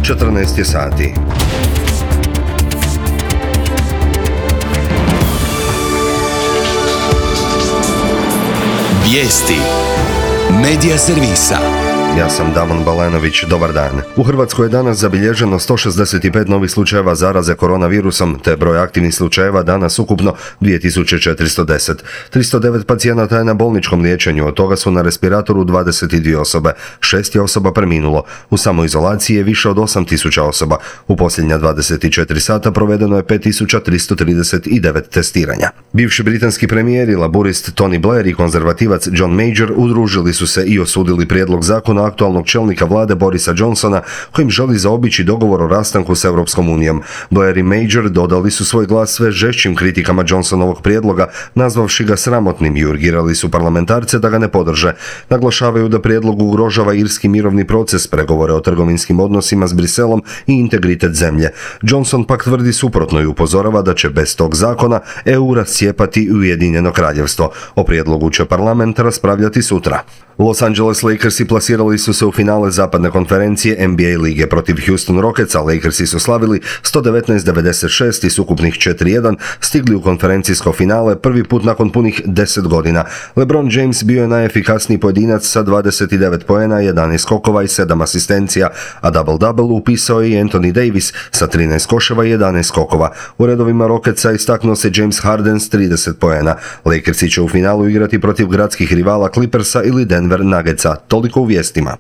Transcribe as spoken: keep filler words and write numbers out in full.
četrnaest je sati. Vijesti Medija servisa. Ja sam Damon Balenović, dobar dan. U Hrvatskoj je danas zabilježeno sto šezdeset pet novih slučajeva zaraze koronavirusom, te broj aktivnih slučajeva danas ukupno dvije tisuće četiristo deset. tristo devet pacijenata je na bolničkom liječenju, od toga su na respiratoru dvadeset dvije osobe, šest je osoba preminulo. U samoizolaciji je više od osam tisuća osoba. U posljednja dvadeset četiri sata provedeno je pet tisuća tristo trideset devet testiranja. Bivši britanski premijer i laburist Tony Blair i konzervativac John Major udružili su se i osudili prijedlog zakona aktualnog čelnika vlade Borisa Johnsona, kojim želi zaobići dogovor o rastanku s Europskom unijom. Blair i Major dodali su svoj glas sve žešćim kritikama Johnsonovog prijedloga, nazvavši ga sramotnim i urgirali su parlamentarce da ga ne podrže. Naglašavaju da prijedlog ugrožava irski mirovni proces, pregovore o trgovinskim odnosima s Briselom i integritet zemlje. Johnson pak tvrdi suprotno i upozorava da će bez tog zakona E U rascijepati Ujedinjeno kraljevstvo. O prijedlogu će parlament raspravljati sutra. Los Angeles Lakersi plasirali su se u finale zapadne konferencije N B A lige protiv Houston Rocketsa. Lakersi su slavili sto devetnaest devedeset šest i s ukupnih četiri jedan stigli u konferencijsko finale prvi put nakon punih deset godina. LeBron James bio je najefikasniji pojedinac sa dvadeset devet poena, jedanaest skokova i sedam asistencija, a double-double upisao je i Anthony Davis sa trinaest koševa i jedanaest skokova. U redovima Rocketsa istaknuo se James Harden s trideset poena. Lakersi će u finalu igrati protiv gradskih rivala Clippersa ili Denver Nuggetsa. Toliko u vijestima.